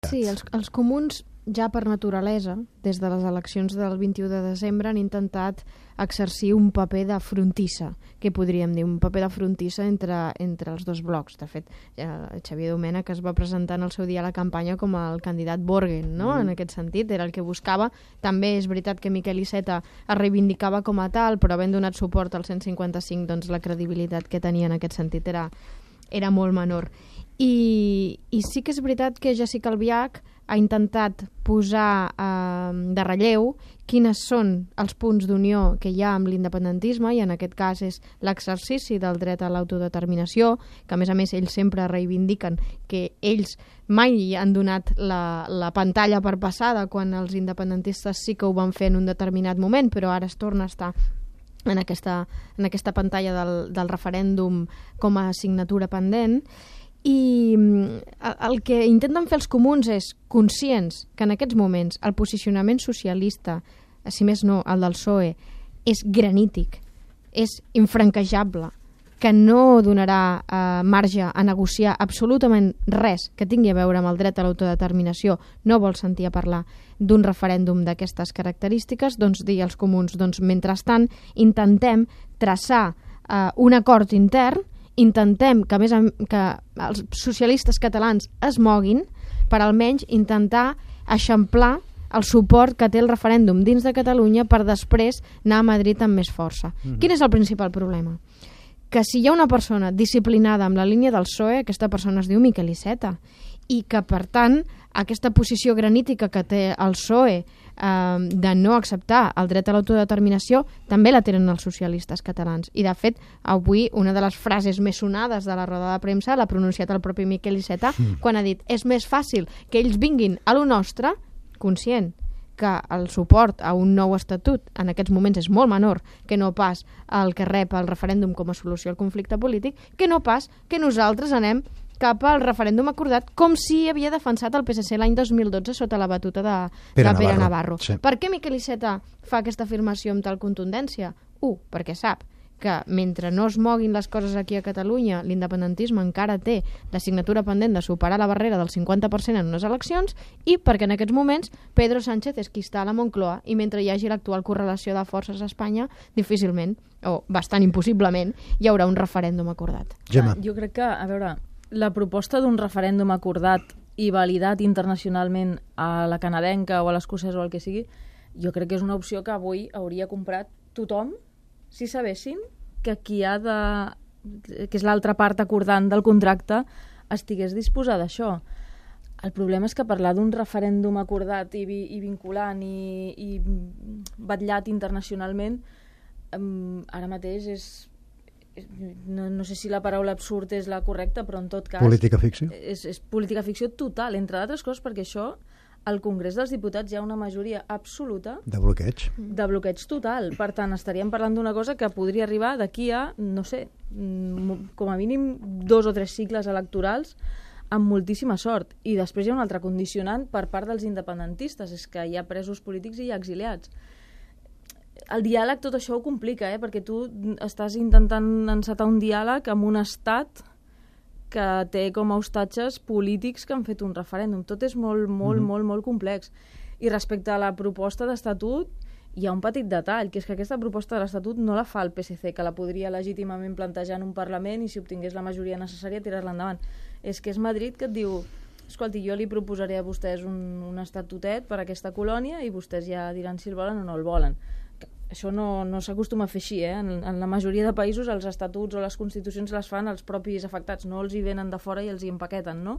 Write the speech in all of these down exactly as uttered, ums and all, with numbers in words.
Sí, els, els comuns ja per naturalesa, des de les eleccions del vint-i-u de desembre, han intentat exercir un paper de frontissa, que podríem dir, un paper de frontissa entre, entre els dos blocs. De fet, Xavier Domènech es va presentar en el seu dia a la campanya com el candidat Borgen, no? Mm. En aquest sentit, era el que buscava. També és veritat que Miquel Iceta es reivindicava com a tal, però havent donat suport al cent cinquanta-cinc, doncs la credibilitat que tenia en aquest sentit era, era molt menor. I, i sí que és veritat que Jéssica Albiach ha intentat posar eh, de relleu quines són els punts d'unió que hi ha amb l'independentisme, i en aquest cas és l'exercici del dret a l'autodeterminació, que a més a més ells sempre reivindiquen que ells mai han donat la, la pantalla per passada quan els independentistes sí que ho van fer en un determinat moment, però ara es torna a estar en aquesta, en aquesta pantalla del, del referèndum com a assignatura pendent. I el que intenten fer els comuns és conscients que en aquests moments el posicionament socialista, si més no el del P S O E, és granític, és infranquejable, que no donarà eh, marge a negociar absolutament res que tingui a veure amb el dret a l'autodeterminació, no vol sentir a parlar d'un referèndum d'aquestes característiques, doncs dir als comuns, doncs mentrestant intentem traçar eh, un acord intern, intentem que, a més, que els socialistes catalans es moguin per almenys intentar eixamplar el suport que té el referèndum dins de Catalunya per després anar a Madrid amb més força. Mm-hmm. Quin és el principal problema? Que si hi ha una persona disciplinada amb la línia del P S O E, aquesta persona es diu Miquel Iceta, i que, per tant, aquesta posició granítica que té el P S O E eh, de no acceptar el dret a l'autodeterminació també la tenen els socialistes catalans. I, de fet, avui una de les frases més sonades de la roda de premsa l'ha pronunciat el propi Miquel Iceta mm. quan ha dit és més fàcil que ells vinguin a lo nostre, conscient que el suport a un nou estatut en aquests moments és molt menor que no pas el que rep el referèndum com a solució al conflicte polític, que no pas que nosaltres anem cap al referèndum acordat, com si havia defensat el P S C l'any dos mil dotze sota la batuta de, Pere de Pere Navarro. Navarro. Sí. Per què Miquel Iceta fa aquesta afirmació amb tal contundència? U, perquè sap que mentre no es moguin les coses aquí a Catalunya, l'independentisme encara té l'assignatura pendent de superar la barrera del cinquanta per cent en unes eleccions, i perquè en aquests moments Pedro Sánchez és qui està a la Moncloa, i mentre hi hagi l'actual correlació de forces a Espanya, difícilment, o bastant impossiblement, hi haurà un referèndum acordat. Gemma. Jo crec que, a veure, la proposta d'un referèndum acordat i validat internacionalment a la canadenca o a l'escocesa o el que sigui, jo crec que és una opció que avui hauria comprat tothom si sabessin que qui ha de... que és l'altra part acordant del contracte, estigués disposada a això. El problema és que parlar d'un referèndum acordat i, vi, i vinculant i, i batllat internacionalment um, ara mateix és... No, no sé si la paraula absurd és la correcta, però en tot cas... Política ficció? És, és política ficció total, entre d'altres coses perquè això... Al Congrés dels Diputats hi ha una majoria absoluta... De bloqueig. De bloqueig total. Per tant, estaríem parlant d'una cosa que podria arribar d'aquí a, no sé, com a mínim dos o tres cicles electorals amb moltíssima sort. I després hi ha un altre condicionant per part dels independentistes, és que hi ha presos polítics i hi ha exiliats. El diàleg tot això ho complica, eh? Perquè tu estàs intentant encetar un diàleg amb un estat que té com a hostatges polítics que han fet un referèndum. Tot és molt, molt, mm-hmm. molt, molt complex. I respecte a la proposta d'estatut, hi ha un petit detall, que és que aquesta proposta de l'estatut no la fa el P S C, que la podria legítimament plantejar en un Parlament i si obtingués la majoria necessària tirar-la endavant. És que és Madrid que et diu, escolti, jo li proposaré a vostès un, un estatutet per a aquesta colònia i vostès ja diran si el volen o no el volen. Això no, no s'acostuma a fer així, eh? En, en la majoria de països els estatuts o les constitucions les fan els propis afectats, no els hi venen de fora i els hi empaqueten, no?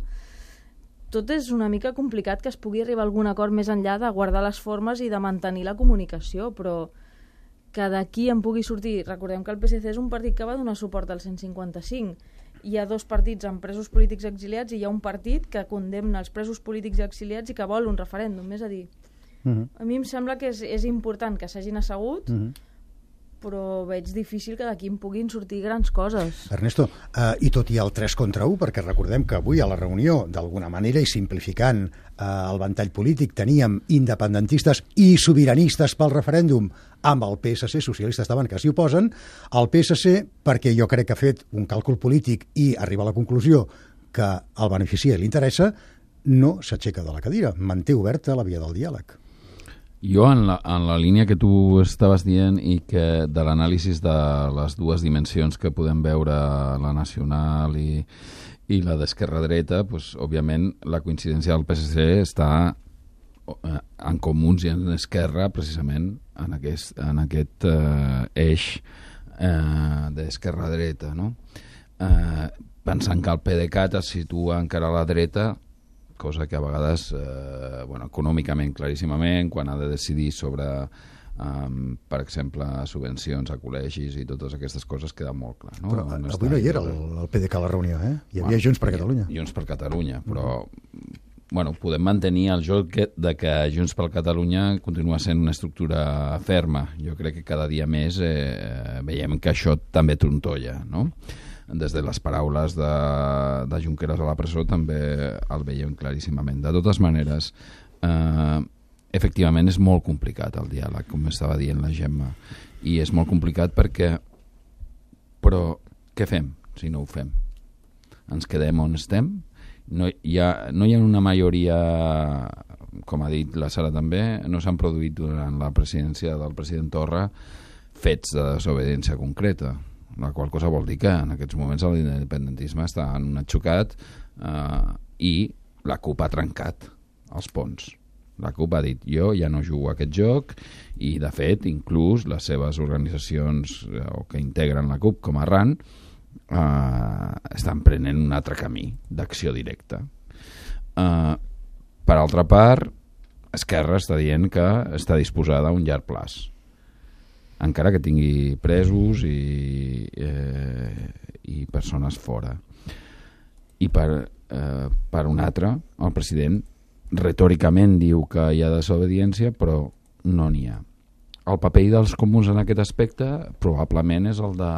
Tot és una mica complicat que es pugui arribar a algun acord més enllà de guardar les formes i de mantenir la comunicació, però que d'aquí en pugui sortir... Recordem que el P S C és un partit que va donar suport al cent cinquanta-cinc. Hi ha dos partits amb presos polítics exiliats i hi ha un partit que condemna els presos polítics exiliats i que vol un referèndum, és a dir... Uh-huh. A mi em sembla que és, és important que s'hagin assegut, uh-huh. però veig difícil que d'aquí en puguin sortir grans coses. Ernesto, uh, i tot i el tres contra u, perquè recordem que avui a la reunió, d'alguna manera i simplificant uh, el ventall polític, teníem independentistes i sobiranistes pel referèndum amb el P S C, socialistes davant que s'hi oposen, el P S C, perquè jo crec que ha fet un càlcul polític i arriba a la conclusió que el beneficia i li interessa, no s'aixeca de la cadira, manté oberta la via del diàleg. Jo, en la, en la línia que tu estaves dient i que de l'anàlisi de les dues dimensions que podem veure, la nacional i, i la d'esquerra-dreta, pues, òbviament la coincidència del P S C està en comuns i en esquerra precisament en aquest, en aquest eh, eix eh, d'esquerra-dreta, no? Eh, pensant que el PDeCAT es situa encara a la dreta, cosa que a vegades, eh, bueno, econòmicament, claríssimament, quan ha de decidir sobre, um, per exemple, subvencions a col·legis i totes aquestes coses, queda molt clar. No? Però no avui no hi era el, el PDeCAT a la reunió, eh? Hi havia bueno, Junts per Catalunya. Junts per Catalunya, però mm. bueno, podem mantenir el joc de que Junts per Catalunya continua sent una estructura ferma. Jo crec que cada dia més eh, veiem que això també trontolla, no? Des de les paraules de, de Junqueras a la presó també el veiem claríssimament. De totes maneres, eh, efectivament és molt complicat el diàleg, com estava dient la Gemma, i és molt complicat perquè però què fem si no ho fem? Ens quedem on estem? No hi ha, no hi ha una majoria, com ha dit la Sara també, no s'han produït durant la presidència del president Torra fets de desobediència concreta, la qual cosa vol dir que en aquests moments l'independentisme està en un atxocat eh, i la CUP ha trencat els ponts. La CUP ha dit, jo ja no jugo a aquest joc, i de fet inclús les seves organitzacions eh, o que integren la CUP com a RAN eh, estan prenent un altre camí d'acció directa. Eh, per altra part, Esquerra està dient que està disposada a un llarg plaç, encara que tingui presos i, eh, i persones fora. I per, eh, per un altre, el president retòricament diu que hi ha desobediència, però no n'hi ha. El paper dels comuns en aquest aspecte probablement és el de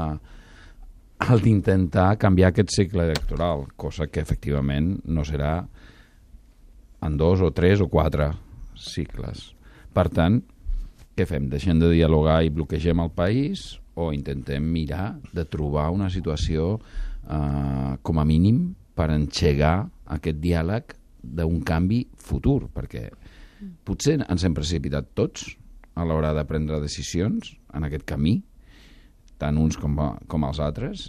el d'intentar canviar aquest cicle electoral, cosa que efectivament no serà en dos o tres o quatre cicles. Per tant, què fem? Deixem de dialogar i bloquegem el país o intentem mirar de trobar una situació eh, com a mínim per engegar aquest diàleg d'un canvi futur, perquè potser ens hem precipitat tots a l'hora de prendre decisions en aquest camí, tant uns com, com els altres,